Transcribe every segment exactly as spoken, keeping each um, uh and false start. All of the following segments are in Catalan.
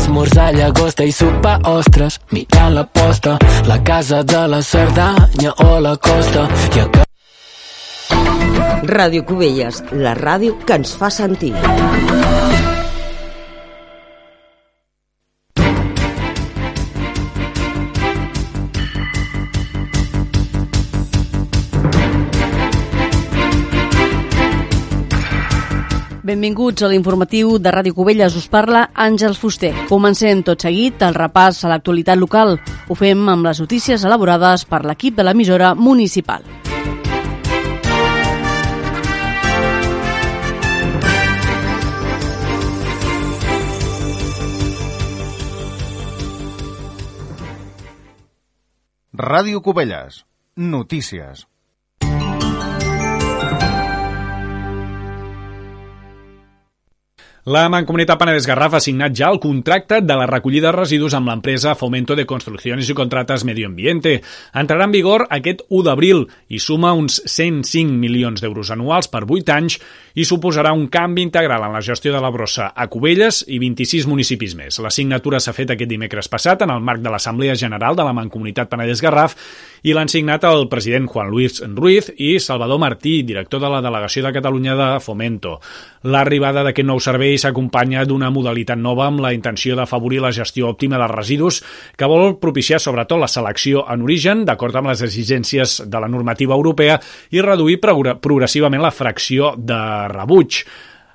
esmorzar llagosta i sopar ostres, mirant la posta, la casa de la Cerdanya o la costa. I a... Ràdio Cubelles, la ràdio que ens fa sentir. Benvinguts a l'informatiu de Ràdio Cubelles. Us parla Àngels Fuster. Comencem tot seguit el repàs a l'actualitat local. Ho fem amb les notícies elaborades per l'equip de l'emissora municipal. Ràdio Cubelles. Notícies. La Mancomunitat Penedès Garraf ha signat ja el contracte de la recollida de residus amb l'empresa Fomento de Construcciones y Contratas Medio Ambiente. Entrarà en vigor aquest u d'abril i suma uns cent cinc milions d'euros anuals per vuit anys i suposarà un canvi integral en la gestió de la brossa a Cubelles i vint-i-sis municipis més. La signatura s'ha fet aquest dimecres passat en el marc de l'Assemblea General de la Mancomunitat Penedès Garraf i l'han signat el president Juan Luis Ruiz i Salvador Martí, director de la Delegació de Catalunya de Fomento. L'arribada d'aquest nou servei s'acompanya d'una modalitat nova amb la intenció d'afavorir la gestió òptima dels residus que vol propiciar sobretot la selecció en origen, d'acord amb les exigències de la normativa europea, i reduir progressivament la fracció de rebuig.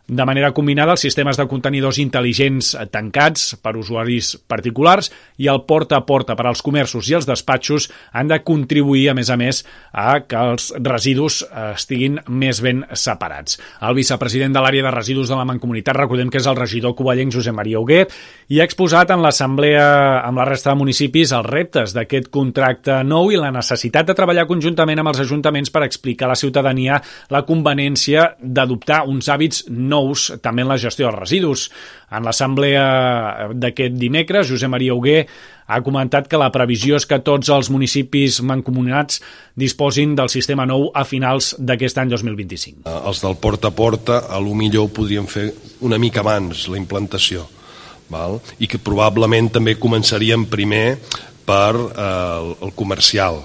De manera combinada, els sistemes de contenidors intel·ligents tancats per usuaris particulars i el porta a porta per als comerços i els despatxos han de contribuir, a més a més, a que els residus estiguin més ben separats. El vicepresident de l'àrea de residus de la Mancomunitat, recordem que és el regidor covellenc Josep Maria Huguet, i ha exposat en l'assemblea amb la resta de municipis els reptes d'aquest contracte nou i la necessitat de treballar conjuntament amb els ajuntaments per explicar a la ciutadania la conveniència d'adoptar uns hàbits nous nous també en la gestió dels residus. En l'assemblea d'aquest dimecres, Josep Maria Huguet ha comentat que la previsió és que tots els municipis mancomunats disposin del sistema nou a finals d'aquest any dos mil vint-i-cinc. Els del porta a porta, a lo millor ho podríem fer una mica abans, la implantació, val? I que probablement també començaríem primer per eh, el comercial,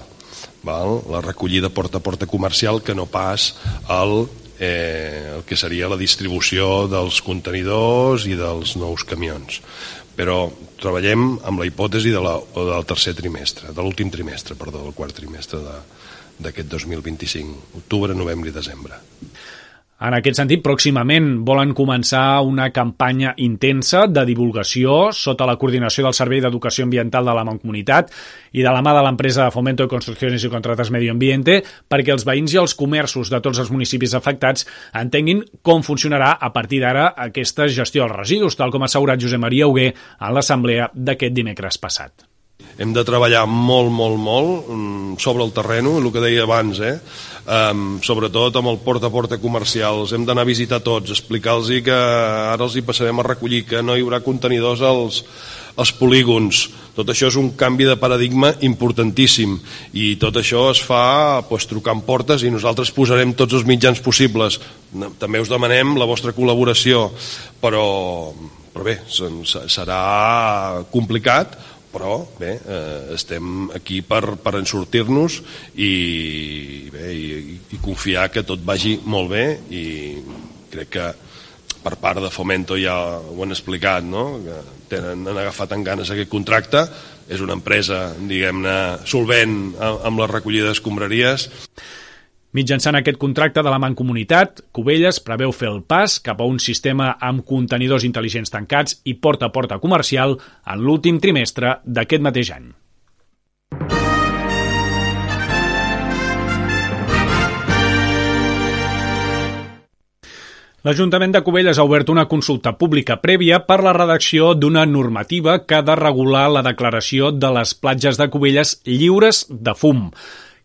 val? La recollida porta a porta comercial, que no pas el Eh, el que seria la distribució dels contenidors i dels nous camions. Però treballem amb la hipòtesi de la, del tercer trimestre, de l'últim trimestre, perdó, del quart trimestre d'aquest dos mil vint-i-cinc, octubre, novembre i desembre. En aquest sentit, pròximament volen començar una campanya intensa de divulgació sota la coordinació del Servei d'Educació Ambiental de la Mancomunitat i de la mà de l'empresa Fomento de Construcciones y Contratas Medio Ambiente perquè els veïns i els comerços de tots els municipis afectats entenguin com funcionarà a partir d'ara aquesta gestió dels residus, tal com ha assegurat Josep Maria Huguet en l'assemblea d'aquest dimecres passat. Hem de treballar molt, molt, molt sobre el terreny, el que deia abans, eh? Um, sobretot amb el porta a porta comercial. Els hem d'anar a visitar tots, explicar-los que ara els hi passarem a recollir, que no hi haurà contenidors als, als polígons. Tot això és un canvi de paradigma importantíssim i tot això es fa pues, trucant portes i nosaltres posarem tots els mitjans possibles. També us demanem la vostra col·laboració, però, però bé, serà complicat, però bé, eh, estem aquí per, per ensortir-nos i, bé, i, i confiar que tot vagi molt bé i crec que per part de Fomento ja ho han explicat, no? Que tenen, han agafat en ganes aquest contracte, és una empresa, diguem-ne, solvent amb la recollida d'escombraries. Mitjançant aquest contracte de la Mancomunitat, Cubelles preveu fer el pas cap a un sistema amb contenidors intel·ligents tancats i porta a porta comercial en l'últim trimestre d'aquest mateix any. L'Ajuntament de Cubelles ha obert una consulta pública prèvia per la redacció d'una normativa que ha de regular la declaració de les platges de Cubelles lliures de fum.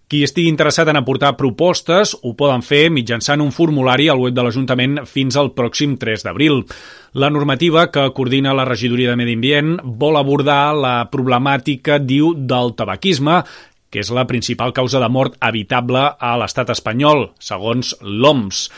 Qui estigui interessat en aportar propostes ho poden fer mitjançant un formulari al web de l'Ajuntament fins al pròxim tres d'abril. La normativa que coordina la Regidoria de Medi Ambient vol abordar la problemàtica, diu, del tabaquisme, que és la principal causa de mort evitable a l'estat espanyol, segons l'O M S.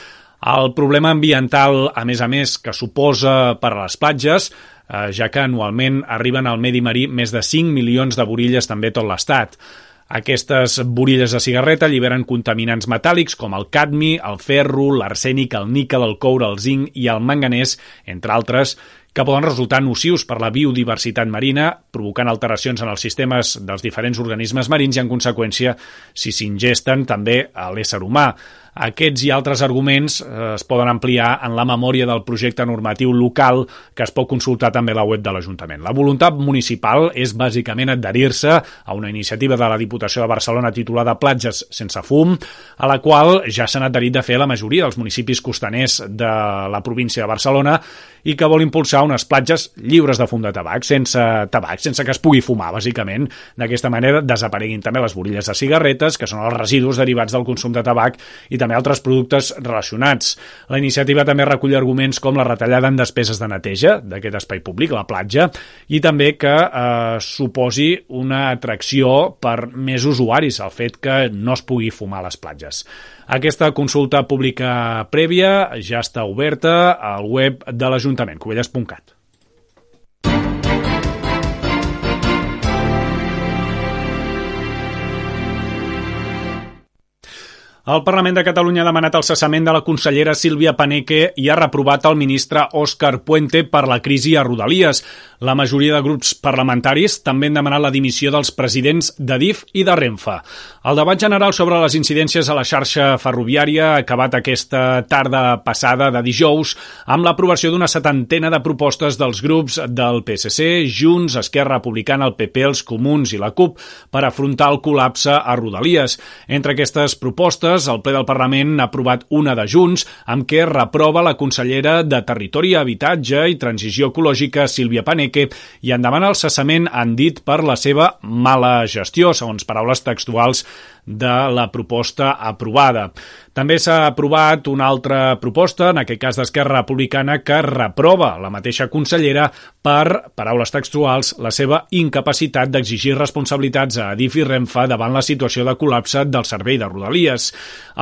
El problema ambiental, a més a més, que suposa per a les platges eh, ja que anualment arriben al medi marí més de cinc milions de burilles també a tot l'Estat. Aquestes burilles de cigarreta alliberen contaminants metàl·lics com el cadmi, el ferro, l'arsènic, el níquel, el coure, el zinc i el manganès, entre altres, que poden resultar nocius per la biodiversitat marina, provocant alteracions en els sistemes dels diferents organismes marins i, en conseqüència, si s'ingesten també a l'ésser humà. Aquests i altres arguments eh, es poden ampliar en la memòria del projecte normatiu local que es pot consultar també a la web de l'Ajuntament. La voluntat municipal és bàsicament adherir-se a una iniciativa de la Diputació de Barcelona titulada Platges sense fum, a la qual ja s'han adherit de fer la majoria dels municipis costaners de la província de Barcelona i que vol impulsar unes platges lliures de fum de tabac, sense tabac, sense que es pugui fumar, bàsicament. D'aquesta manera desapareguin també les burilles de cigarretes, que són els residus derivats del consum de tabac, i també altres productes relacionats. La iniciativa també recull arguments com la retallada en despeses de neteja d'aquest espai públic, la platja, i també que eh, suposi una atracció per més usuaris, el fet que no es pugui fumar a les platges. Aquesta consulta pública prèvia ja està oberta al web de l'Ajuntament, cubelles punt cat. El Parlament de Catalunya ha demanat el cessament de la consellera Sílvia Paneque i ha reprovat el ministre Òscar Puente per la crisi a Rodalies. La majoria de grups parlamentaris també han demanat la dimissió dels presidents d'Adif i de Renfe. El debat general sobre les incidències a la xarxa ferroviària ha acabat aquesta tarda passada de dijous amb l'aprovació d'una setantena de propostes dels grups del P S C, Junts, Esquerra Republicana, el P P, els Comuns i la CUP per afrontar el col·lapse a Rodalies. Entre aquestes propostes, el ple del Parlament ha aprovat una de Junts amb què reprova la consellera de Territori, Habitatge i Transició Ecològica, Sílvia Paneque, i en demana el cessament, han dit, per la seva mala gestió, segons paraules textuals de la proposta aprovada. També s'ha aprovat una altra proposta, en aquest cas d'Esquerra Republicana, que reprova la mateixa consellera per, paraules textuals, la seva incapacitat d'exigir responsabilitats a Adif i Renfe davant la situació de col·lapse del servei de Rodalies.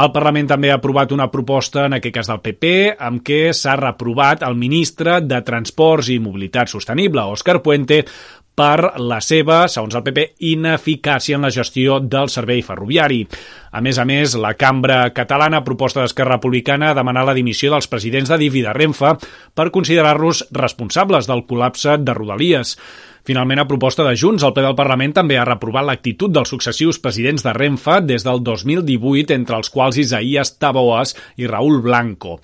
El Parlament també ha aprovat una proposta, en aquest cas del P P, amb què s'ha reprovat el ministre de Transports i Mobilitat Sostenible, Òscar Puente, per la seva, segons el P P, ineficàcia en la gestió del servei ferroviari. A més a més, la cambra catalana, a proposta d'Esquerra Republicana, ha demanat la dimissió dels presidents d'Adif i de Renfe per considerar-los responsables del col·lapse de Rodalies. Finalment, a proposta de Junts, el ple del Parlament també ha reprovat l'actitud dels successius presidents de Renfe des del dos mil divuit, entre els quals Isaías Taboas i Raúl Blanco.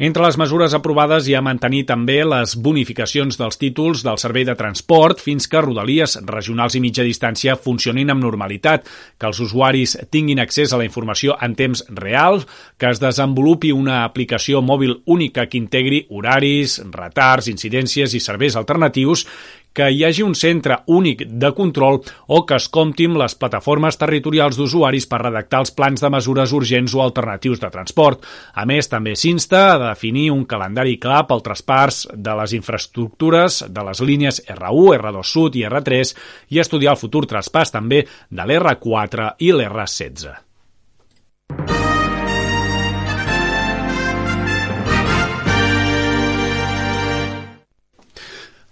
Entre les mesures aprovades hi ha mantenir també les bonificacions dels títols del servei de transport fins que Rodalies regionals i mitja distància funcionin amb normalitat, que els usuaris tinguin accés a la informació en temps real, que es desenvolupi una aplicació mòbil única que integri horaris, retards, incidències i serveis alternatius, que hi hagi un centre únic de control o que es compti amb les plataformes territorials d'usuaris per redactar els plans de mesures urgents o alternatius de transport. A més, també s'insta a definir un calendari clar pel traspàs de les infraestructures de les línies erre u, erre dos Sud i erre tres i estudiar el futur traspàs també de l'erre quatre i l'erre setze.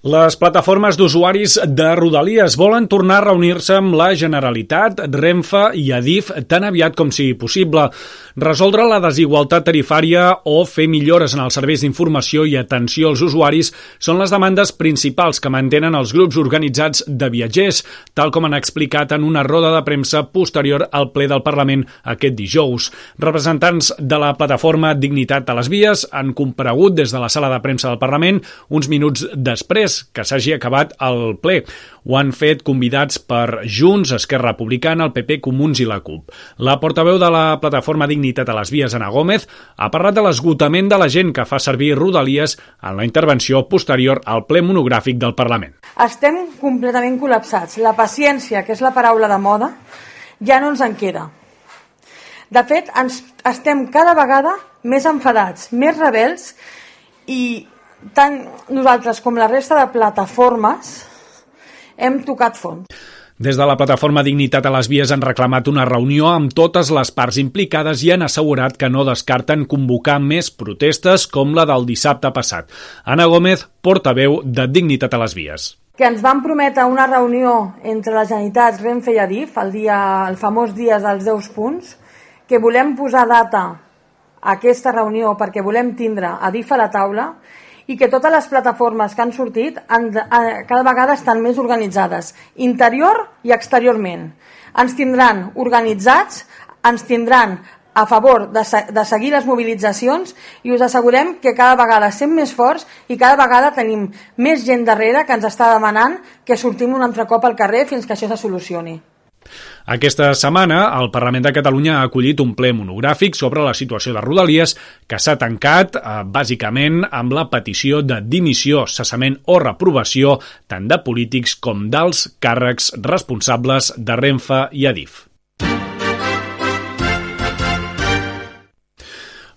Les plataformes d'usuaris de Rodalies volen tornar a reunir-se amb la Generalitat, Renfe i Adif tan aviat com sigui possible, resoldre la desigualtat tarifària o fer millores en els serveis d'informació i atenció als usuaris són les demandes principals que mantenen els grups organitzats de viatgers, tal com han explicat en una roda de premsa posterior al ple del Parlament aquest dijous. Representants de la plataforma Dignitat a les Vies han comparegut des de la sala de premsa del Parlament uns minuts després que s'hagi acabat el ple. Ho han fet convidats per Junts, Esquerra Republicana, el P P, Comuns i la CUP. La portaveu de la plataforma Dignitat a les Vies, Ana Gómez, ha parlat de l'esgotament de la gent que fa servir Rodalies en la intervenció posterior al ple monogràfic del Parlament. Estem completament col·lapsats. La paciència, que és la paraula de moda, ja no ens en queda. De fet, ens estem cada vegada més enfadats, més rebels i tant nosaltres com la resta de plataformes hem tocat fons. Des de la plataforma Dignitat a les Vies han reclamat una reunió amb totes les parts implicades i han assegurat que no descarten convocar més protestes com la del dissabte passat. Ana Gómez, portaveu de Dignitat a les Vies. Que ens van prometre una reunió entre la Generalitat, Renfe i Adif, el, dia, el famós dia dels deu punts, que volem posar data a aquesta reunió perquè volem tindre Adif a la taula i que totes les plataformes que han sortit han, cada vegada estan més organitzades, interior i exteriorment. Ens tindran organitzats, ens tindran a favor de, de seguir les mobilitzacions i us assegurem que cada vegada som més forts i cada vegada tenim més gent darrere que ens està demanant que sortim un altre cop al carrer fins que això se solucioni. Aquesta setmana, el Parlament de Catalunya ha acollit un ple monogràfic sobre la situació de Rodalies que s'ha tancat, eh, bàsicament, amb la petició de dimissió, cessament o reprovació tant de polítics com dels càrrecs responsables de Renfe i Adif.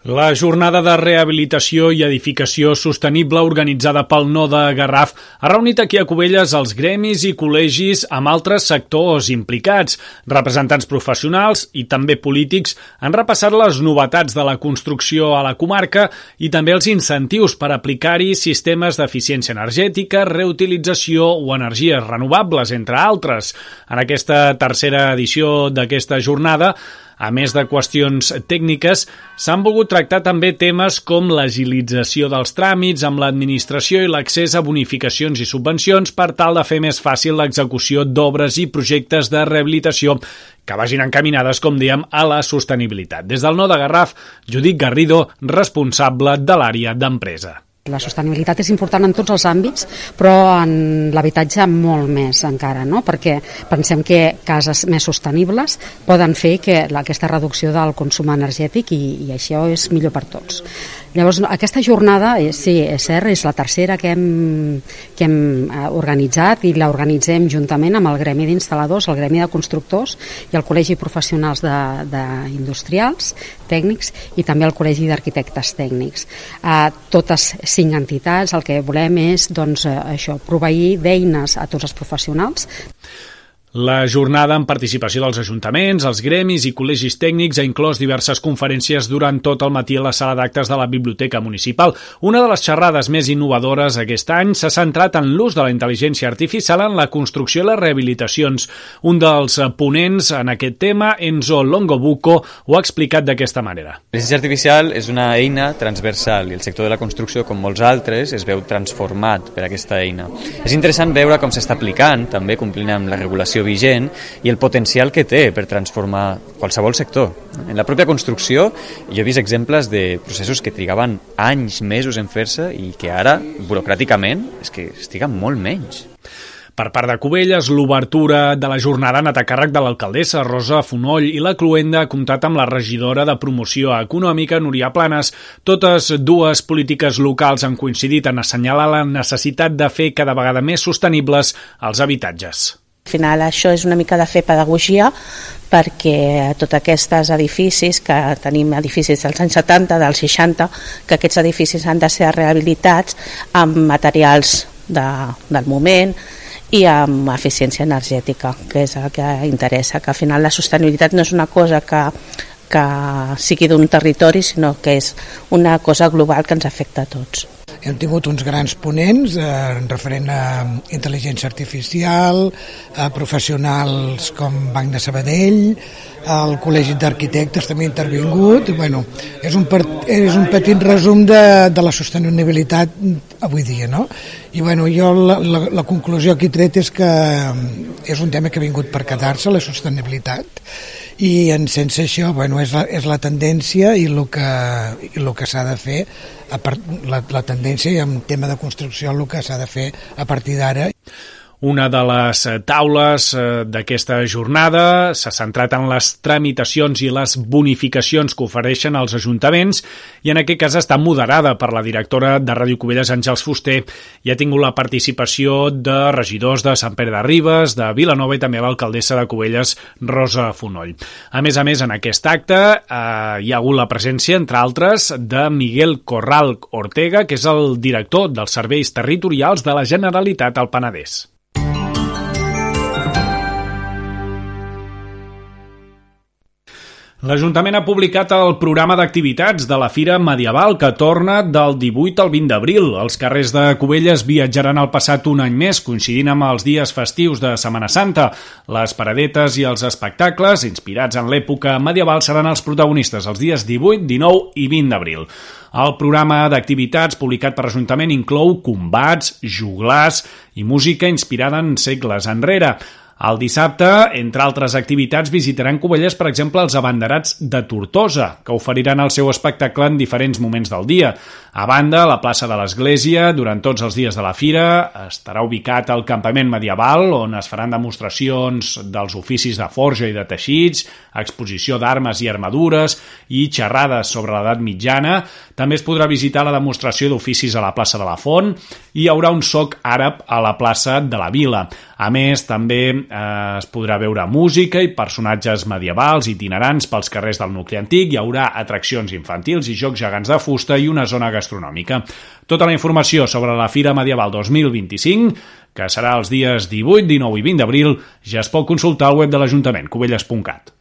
La jornada de rehabilitació i edificació sostenible organitzada pel Node Garraf ha reunit aquí a Cubelles els gremis i col·legis amb altres sectors implicats. Representants professionals i també polítics han repassat les novetats de la construcció a la comarca i també els incentius per aplicar-hi sistemes d'eficiència energètica, reutilització o energies renovables, entre altres. En aquesta tercera edició d'aquesta jornada, a més de qüestions tècniques, s'han volgut tractar també temes com l'agilització dels tràmits amb l'administració i l'accés a bonificacions i subvencions per tal de fer més fàcil l'execució d'obres i projectes de rehabilitació que vagin encaminades, com dèiem, a la sostenibilitat. Des del Node Garraf, Judit Garrido, responsable de l'àrea d'empresa. La sostenibilitat és important en tots els àmbits, però en l'habitatge molt més encara, no? Perquè pensem que cases més sostenibles poden fer que aquesta reducció del consum energètic i, i això és millor per tots. Llavors, aquesta jornada, sí, és cert, és la tercera que hem, que hem organitzat i l'organitzem juntament amb el Gremi d'Instal·ladors, el Gremi de Constructors i el Col·legi Professionals d'Industrials, Tècnics i també el Col·legi d'Arquitectes Tècnics. Eh, totes cinc entitats, el que volem és doncs, això, proveir d'eines a tots els professionals. La jornada amb participació dels ajuntaments, els gremis i col·legis tècnics ha inclòs diverses conferències durant tot el matí a la sala d'actes de la Biblioteca Municipal. Una de les xerrades més innovadores aquest any s'ha centrat en l'ús de la intel·ligència artificial en la construcció i les rehabilitacions. Un dels ponents en aquest tema, Enzo Longobuco, ho ha explicat d'aquesta manera. L'intel·ligència artificial és una eina transversal i el sector de la construcció, com molts altres, es veu transformat per aquesta eina. És interessant veure com s'està aplicant, també complint amb la regulació vigent i el potencial que té per transformar qualsevol sector. En la pròpia construcció jo he vist exemples de processos que trigaven anys, mesos en fer-se i que ara, burocràticament, és que estiguen molt menys. Per part de Cubelles, l'obertura de la jornada ha anat a càrrec de l'alcaldessa Rosa Fonoll i la cluenda ha comptat amb la regidora de Promoció Econòmica, Núria Planes. Totes dues polítiques locals han coincidit en assenyalar la necessitat de fer cada vegada més sostenibles els habitatges. Al final això és una mica de fer pedagogia perquè tots aquests edificis, que tenim edificis dels anys setanta, dels seixanta, que aquests edificis han de ser rehabilitats amb materials de, del moment i amb eficiència energètica, que és el que interessa, que al final la sostenibilitat no és una cosa que, que sigui d'un territori, sinó que és una cosa global que ens afecta a tots. Hem tingut uns grans ponents eh, referent a intel·ligència artificial, a professionals com Banc de Sabadell, el Col·legi d'Arquitectes també ha intervingut. Bueno, és, un per, és un petit resum de, de la sostenibilitat avui dia, no? I bueno, jo la, la, la conclusió que he tret és que és un tema que ha vingut per quedar-se, la sostenibilitat, i en sense això, bueno, és la, és la tendència i el que, i el que s'ha de fer, a part, la, la tendència i en tema de construcció el que s'ha de fer a partir d'ara. Una de les taules d'aquesta jornada s'ha centrat en les tramitacions i les bonificacions que ofereixen els ajuntaments i en aquest cas està moderada per la directora de Ràdio Cubelles, Àngels Fuster, i ha tingut la participació de regidors de Sant Pere de Ribes, de Vilanova i també l'alcaldessa de Cubelles, Rosa Fonoll. A més a més, en aquest acte eh, hi ha hagut la presència, entre altres, de Miguel Corral Ortega, que és el director dels serveis territorials de la Generalitat al Penedès. L'Ajuntament ha publicat el programa d'activitats de la Fira Medieval que torna del divuit al vint d'abril. Els carrers de Cubelles viatjaran al passat un any més, coincidint amb els dies festius de Setmana Santa. Les paradetes i els espectacles, inspirats en l'època medieval, seran els protagonistes els dies divuit, dinou i vint d'abril. El programa d'activitats publicat per l'Ajuntament inclou combats, joglars i música inspirada en segles enrere. El dissabte, entre altres activitats, visitaran Cubelles, per exemple, els abanderats de Tortosa, que oferiran el seu espectacle en diferents moments del dia. A banda, a la plaça de l'Església, durant tots els dies de la fira, estarà ubicat el campament medieval, on es faran demostracions dels oficis de forja i de teixits, exposició d'armes i armadures i xerrades sobre l'edat mitjana. També es podrà visitar la demostració d'oficis a la plaça de la Font i hi haurà un soc àrab a la plaça de la Vila. A més, també eh, es podrà veure música i personatges medievals itinerants pels carrers del nucli antic, hi haurà atraccions infantils i jocs gegants de fusta i una zona gastronòmica. Tota la informació sobre la Fira Medieval dos mil vint-i-cinc, que serà els dies divuit, dinou i vint d'abril, ja es pot consultar al web de l'Ajuntament, cubelles punt cat.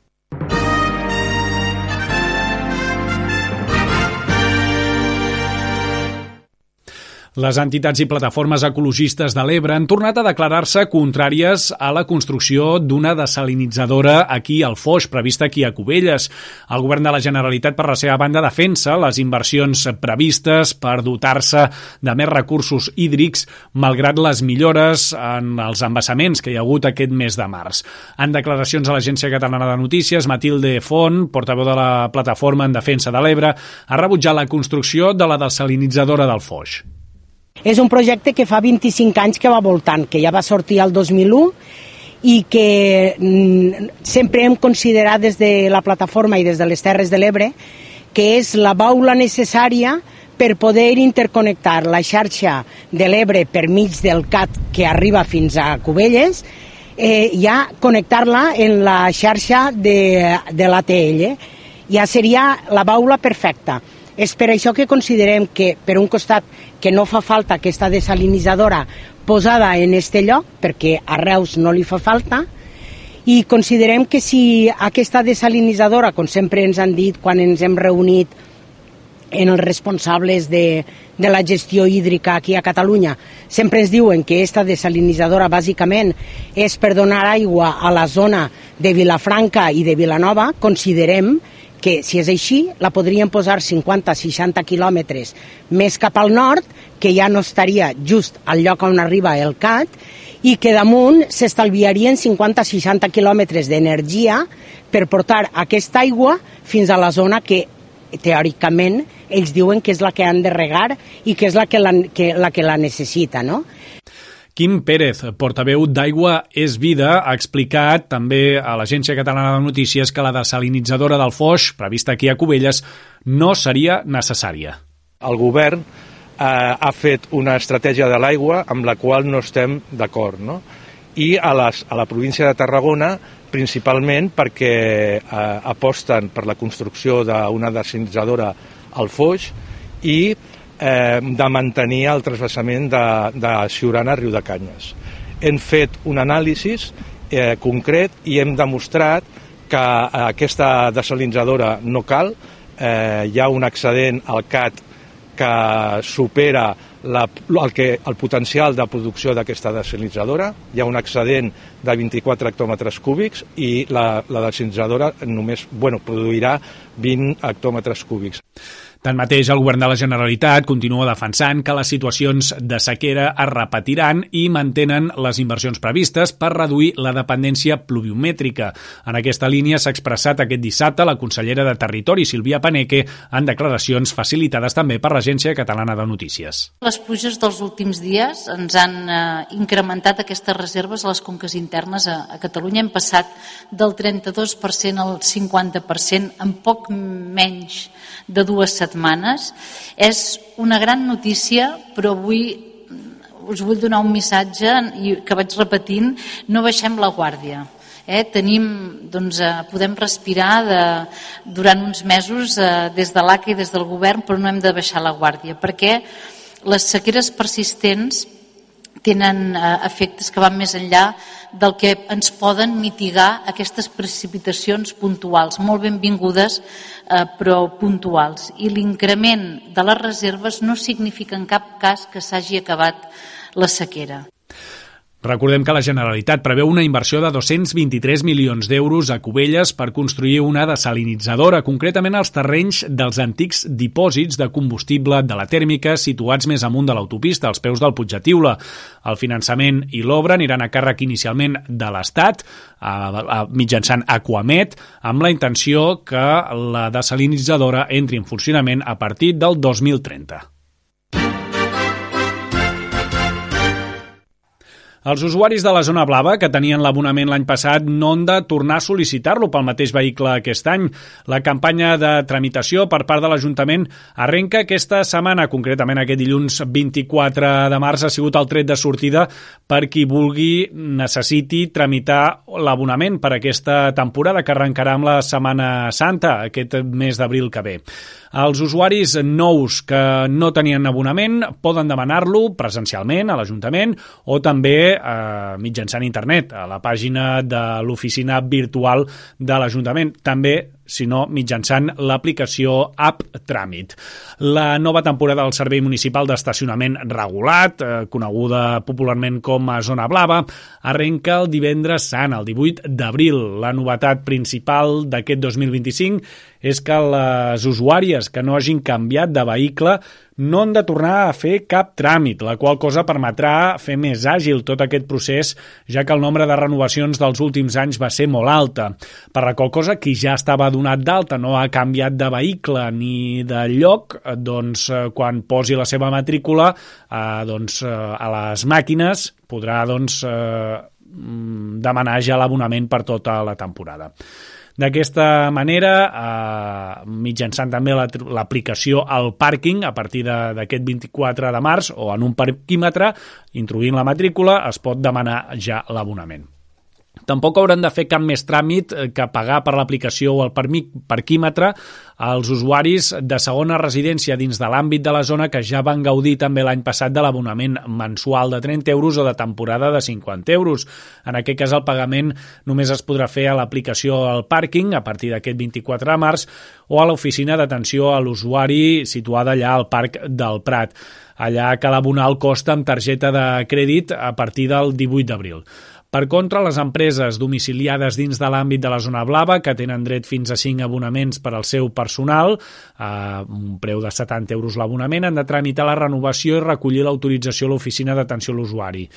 Les entitats i plataformes ecologistes de l'Ebre han tornat a declarar-se contràries a la construcció d'una desalinitzadora aquí al Foix, prevista aquí a Cubelles. El govern de la Generalitat, per la seva banda, defensa les inversions previstes per dotar-se de més recursos hídrics, malgrat les millores en els embassaments que hi ha hagut aquest mes de març. En declaracions a l'Agència Catalana de Notícies, Matilde Font, portaveu de la plataforma en defensa de l'Ebre, ha rebutjat la construcció de la desalinitzadora del Foix. És un projecte que fa vint-i-cinc anys que va voltant, que ja va sortir el dos mil u i que sempre hem considerat des de la plataforma i des de les Terres de l'Ebre que és la baula necessària per poder interconnectar la xarxa de l'Ebre per mig del C A T que arriba fins a Cubelles, eh, ja connectar-la en la xarxa de, de l'A T L. Ja seria la baula perfecta. És per això que considerem que, per un costat, que no fa falta aquesta desalinitzadora posada en este lloc, perquè a Reus no li fa falta, i considerem que si aquesta desalinitzadora, com sempre ens han dit quan ens hem reunit en els responsables de, de la gestió hídrica aquí a Catalunya, sempre ens diuen que aquesta desalinitzadora bàsicament és per donar aigua a la zona de Vilafranca i de Vilanova, considerem que si és així la podrien posar cinquanta a seixanta quilòmetres més cap al nord, que ja no estaria just al lloc on arriba el C A T, i que damunt s'estalviarien cinquanta a seixanta quilòmetres d'energia per portar aquesta aigua fins a la zona que teòricament ells diuen que és la que han de regar i que és la que la, que, la, que la necessita, no? Quim Pérez, portaveu d'Aigua és Vida, ha explicat també a l'Agència Catalana de Notícies que la desalinitzadora del Foix, prevista aquí a Cubelles, no seria necessària. El govern eh, ha fet una estratègia de l'aigua amb la qual no estem d'acord, no? I a, les, a la província de Tarragona, principalment perquè eh, aposten per la construcció d'una desalinitzadora al Foix i Eh, de mantenir el transvasament de, de Siurana a Riudecanyes. Hem fet un anàlisi eh, concret i hem demostrat que eh, aquesta desalinitzadora no cal, eh, hi ha un excedent al C A T que supera la, el, que, el potencial de producció d'aquesta desalinitzadora, hi ha un excedent de vint-i-quatre hectòmetres cúbics i la, la desalinitzadora només bueno, produirà vint hectòmetres cúbics. Tanmateix, el govern de la Generalitat continua defensant que les situacions de sequera es repetiran i mantenen les inversions previstes per reduir la dependència pluviomètrica. En aquesta línia s'ha expressat aquest dissabte la consellera de Territori, Sílvia Paneque, en declaracions facilitades també per l'Agència Catalana de Notícies. Les pluges dels últims dies ens han eh, incrementat aquestes reserves a les conques internes a, a Catalunya. Hem passat del trenta-dos per cent al cinquanta per cent en poc menys de dues setmanes. És una gran notícia, però avui us vull donar un missatge que vaig repetint: no baixem la guàrdia. Eh, tenim, doncs, eh, podem respirar de, durant uns mesos eh, des de l'A C A i des del govern, però no hem de baixar la guàrdia, perquè les sequeres persistents tenen eh, efectes que van més enllà del que ens poden mitigar aquestes precipitacions puntuals, molt benvingudes, eh, però puntuals. I l'increment de les reserves no significa en cap cas que s'hagi acabat la sequera. Recordem que la Generalitat preveu una inversió de dos-cents vint-i-tres milions d'euros a Cubelles per construir una desalinitzadora, concretament als terrenys dels antics dipòsits de combustible de la tèrmica situats més amunt de l'autopista, als peus del Puig de Tiula. El finançament i l'obra aniran a càrrec inicialment de l'Estat, a, a, mitjançant Aquamet, amb la intenció que la desalinitzadora entri en funcionament a partir del dos mil trenta. Els usuaris de la zona blava que tenien l'abonament l'any passat no han de tornar a sol·licitar-lo pel mateix vehicle aquest any. La campanya de tramitació per part de l'Ajuntament arrenca aquesta setmana, concretament aquest dilluns vint-i-quatre de març, ha sigut el tret de sortida per qui vulgui, necessiti tramitar l'abonament per aquesta temporada que arrencarà amb la Setmana Santa, aquest mes d'abril que ve. Els usuaris nous que no tenien abonament poden demanar-lo presencialment a l'Ajuntament o també eh, mitjançant internet, a la pàgina de l'oficina virtual de l'Ajuntament. També, si no, mitjançant l'aplicació App Tràmit. La nova temporada del Servei Municipal d'Estacionament Regulat, eh, coneguda popularment com a Zona Blava, arrenca el divendres sant, el divuit d'abril. La novetat principal d'aquest dos mil vint-i-cinc és que les usuàries que no hagin canviat de vehicle no han de tornar a fer cap tràmit, la qual cosa permetrà fer més àgil tot aquest procés, ja que el nombre de renovacions dels últims anys va ser molt alta. Per la qual cosa, qui ja estava donat d'alta, no ha canviat de vehicle ni de lloc, doncs quan posi la seva matrícula eh, doncs, a les màquines podrà doncs, eh, demanar ja l'abonament per tota la temporada. D'aquesta manera, eh, mitjançant també l'aplicació al pàrquing, a partir d'aquest vint-i-quatre de març, o en un parquímetre, introduint la matrícula, es pot demanar ja l'abonament. Tampoc hauran de fer cap més tràmit que pagar per l'aplicació o el parquímetre als usuaris de segona residència dins de l'àmbit de la zona que ja van gaudir també l'any passat de l'abonament mensual de trenta euros o de temporada de cinquanta euros. En aquest cas el pagament només es podrà fer a l'aplicació al pàrquing a partir d'aquest vint-i-quatre de març o a l'oficina d'atenció a l'usuari situada allà al Parc del Prat. Allà cal abonar el cost amb targeta de crèdit a partir del divuit d'abril. Per contra, les empreses domiciliades dins de l'àmbit de la zona blava, que tenen dret fins a cinc abonaments per al seu personal, a un preu de setanta euros l'abonament, han de tramitar la renovació i recollir l'autorització a l'oficina d'atenció a l'usuari.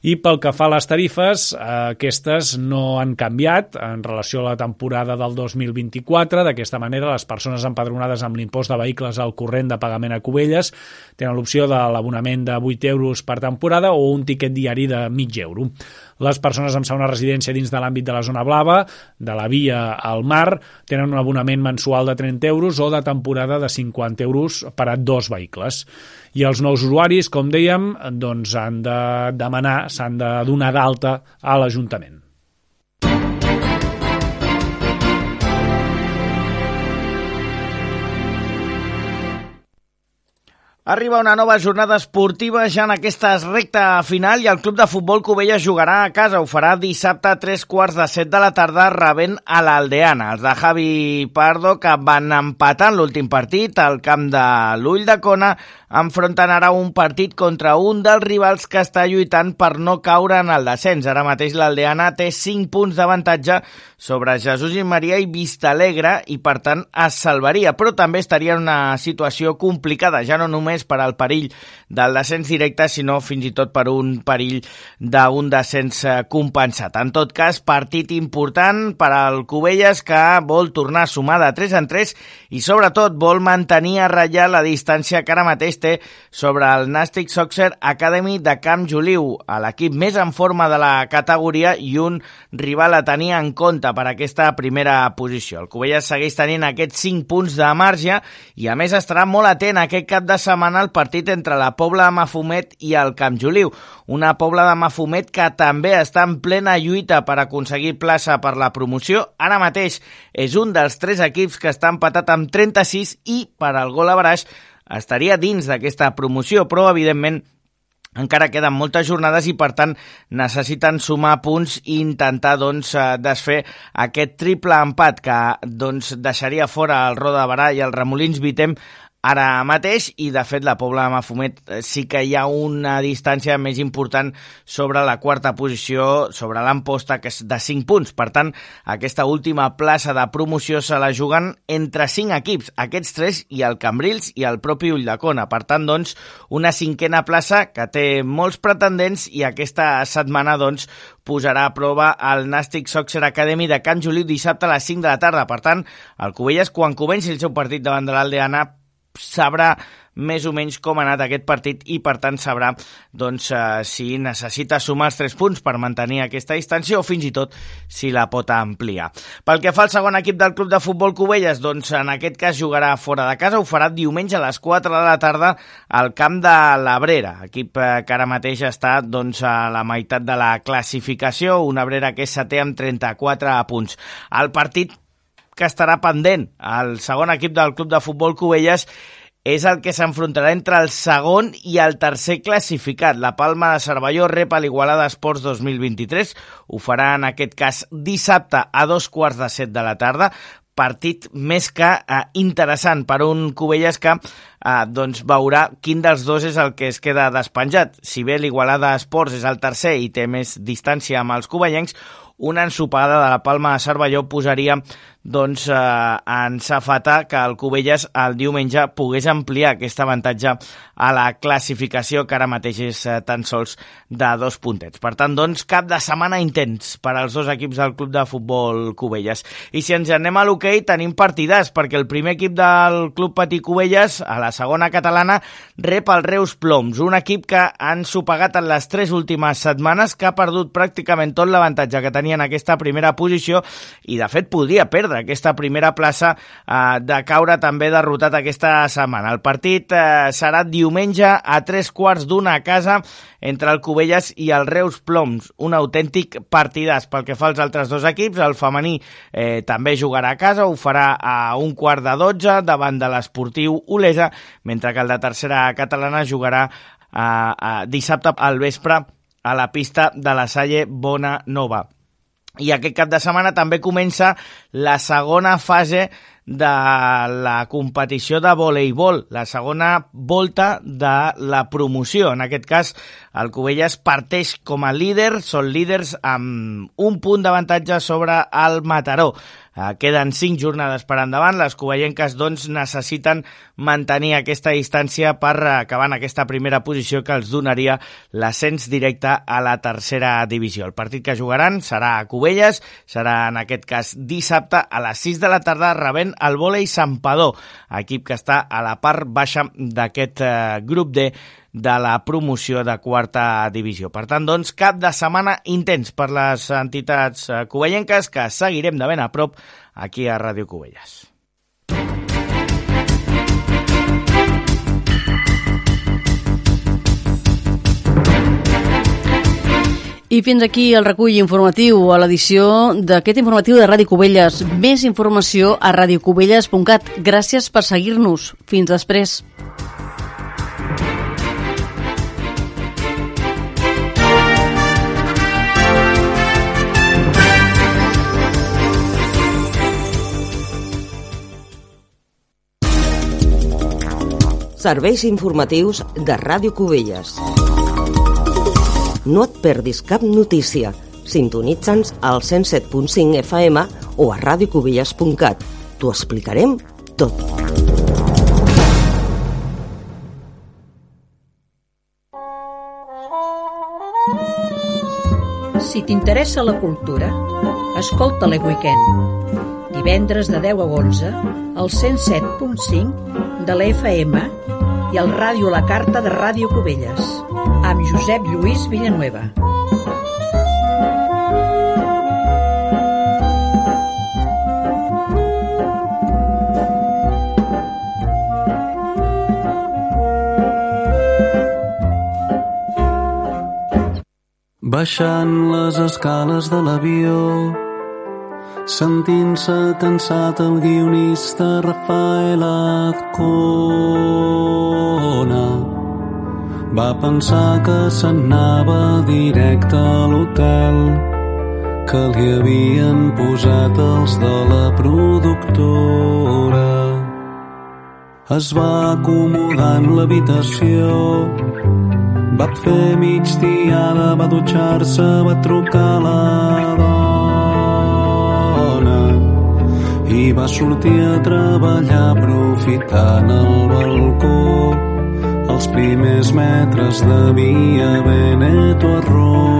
I pel que fa a les tarifes, aquestes no han canviat en relació a la temporada del dos mil vint-i-quatre. D'aquesta manera, les persones empadronades amb l'impost de vehicles al corrent de pagament a Cubelles tenen l'opció de l'abonament de vuit euros per temporada o un tiquet diari de mig euro. Les persones amb segona residència dins de l'àmbit de la zona blava, de la via al mar, tenen un abonament mensual de trenta euros o de temporada de cinquanta euros per a dos vehicles. I els nous usuaris, com dèiem, doncs han de demanar, s'han de donar d'alta a l'Ajuntament. Arriba una nova jornada esportiva ja en aquesta recta final i el club de futbol Cubelles jugarà a casa. Ho farà dissabte a tres quarts de set de la tarda rebent a l'Aldeana. Els de Javi Pardo, que van empatar en l'últim partit al camp de l'Ull de Cona, enfronten ara un partit contra un dels rivals que està lluitant per no caure en el descens. Ara mateix l'Aldeana té cinc punts d'avantatge sobre Jesús i Maria i Vistalegre i per tant es salvaria, però també estaria en una situació complicada, ja no només per al perill del descens directe, sinó fins i tot per un perill d'un descens compensat. En tot cas, partit important per al Cubelles, que vol tornar a sumar de tres en tres i sobretot vol mantenir a ratllar la distància que ara mateix té sobre el Nàstic Soccer Academy de Camp Joliu, a l'equip més en forma de la categoria i un rival a tenir en compte per aquesta primera posició. El Cubelles segueix tenint aquests cinc punts de marge i a més estarà molt atent aquest cap de setmana al partit entre la Pobla de Mafumet i el Camp Joliu. Una Pobla de Mafumet que també està en plena lluita per aconseguir plaça per la promoció. Ara mateix és un dels tres equips que està empatat amb trenta-sis i per al gol average estaria dins d'aquesta promoció, però evidentment encara queden moltes jornades i, per tant, necessiten sumar punts i intentar doncs, desfer aquest triple empat que doncs, deixaria fora el Roda de Berà i el Remolins Vitem ara mateix, i de fet la Pobla de Mafumet sí que hi ha una distància més important sobre la quarta posició, sobre l'Amposta, que és de cinc punts. Per tant, aquesta última plaça de promoció se la juguen entre cinc equips, aquests tres i el Cambrils i el propi Ulldecona. Per tant, doncs, una cinquena plaça que té molts pretendents i aquesta setmana doncs, posarà a prova el Nàstic Soccer Academy de Can Joliu dissabte a les cinc de la tarda. Per tant, el Cubelles, quan comenci el seu partit davant de l'Aldeana, sabrà més o menys com ha anat aquest partit i, per tant, sabrà doncs, eh, si necessita sumar els tres punts per mantenir aquesta distància o fins i tot si la pot ampliar. Pel que fa al segon equip del Club de Futbol Cubelles, doncs en aquest cas jugarà fora de casa, ho farà diumenge a les quatre de la tarda al camp de l'Abrera, equip eh, que ara mateix està doncs, a la meitat de la classificació, una Abrera que és setè amb trenta-quatre punts. El partit que estarà pendent el segon equip del Club de Futbol Cubelles és el que s'enfrontarà entre el segon i el tercer classificat. La Palma de Cervelló rep a l'Igualada Esports dos mil vint-i-tres. Ho farà en aquest cas dissabte a dos quarts de set de la tarda. Partit més que eh, interessant per un Cubelles que eh, doncs veurà quin dels dos és el que es queda despenjat. Si bé l'Igualada Esports és el tercer i té més distància amb els cubellencs, una ensopada de la Palma de Cervelló posaria doncs, eh, en safata que el Cubelles el diumenge pogués ampliar aquest avantatge a la classificació, que ara mateix és eh, tan sols de dos puntets. Per tant, doncs, cap de setmana intens per als dos equips del Club de Futbol Cubelles. I si ens anem a l'hoquei, tenim partidars, perquè el primer equip del Club Patí Cubelles, a la segona catalana, rep el Reus Ploms, un equip que han sopegat en les tres últimes setmanes, que ha perdut pràcticament tot l'avantatge que tenia en aquesta primera posició i, de fet, podria perdre aquesta primera plaça eh, de caure també derrotat aquesta setmana. El partit eh, serà diumenge a tres quarts d'una a casa entre el Cubelles i el Reus Ploms, un autèntic partidàs. Pel que fa als altres dos equips, el femení eh, també jugarà a casa, ho farà a un quart de dotze davant de l'Esportiu Olesa, mentre que el de tercera catalana jugarà eh, eh, dissabte al vespre a la pista de la Salle Bona Nova. I aquest cap de setmana també comença la segona fase de la competició de voleibol, la segona volta de la promoció. En aquest cas, el Cubelles parteix com a líder, són líders amb un punt d'avantatge sobre el Mataró. Uh, queden cinc jornades per endavant. Les cubellenques doncs, necessiten mantenir aquesta distància per acabar en aquesta primera posició que els donaria l'ascens directe a la tercera divisió. El partit que jugaran serà a Cubelles, serà en aquest cas dissabte a les sis de la tarda, rebent el Vòlei Santpedor, equip que està a la part baixa d'aquest uh, grup D de la promoció de quarta divisió. Per tant, doncs, cap de setmana intens per les entitats cubellenques que seguirem de ben a prop aquí a Ràdio Cubelles. I fins aquí el recull informatiu a l'edició d'aquest informatiu de Ràdio Cubelles. Més informació a radiocubelles punt cat. Gràcies per seguir-nos. Fins després. Serveis informatius de Ràdio Cubelles. No et perdis cap notícia. Sintonitza'ns al cent set punt cinc F M o a radiocubelles punt cat. T'ho explicarem tot. Si t'interessa la cultura, escolta l'E Weekend. Divendres de deu a onze, al cent set punt cinc de l'F M i al Ràdio La Carta de Ràdio Cubelles, amb Josep Lluís Villanueva. Baixant les escales de l'avió, sentint-se cansat el guionista Rafael Azcona, Va pensar que s'anava directe a l'hotel que li havien posat els de la productora. Es va acomodar en l'habitació, va fer migdiada, va dutxar-se, va trucar a la dona i va sortir a treballar aprofitant el balcó. Els primers metres de via Veneto a Roma.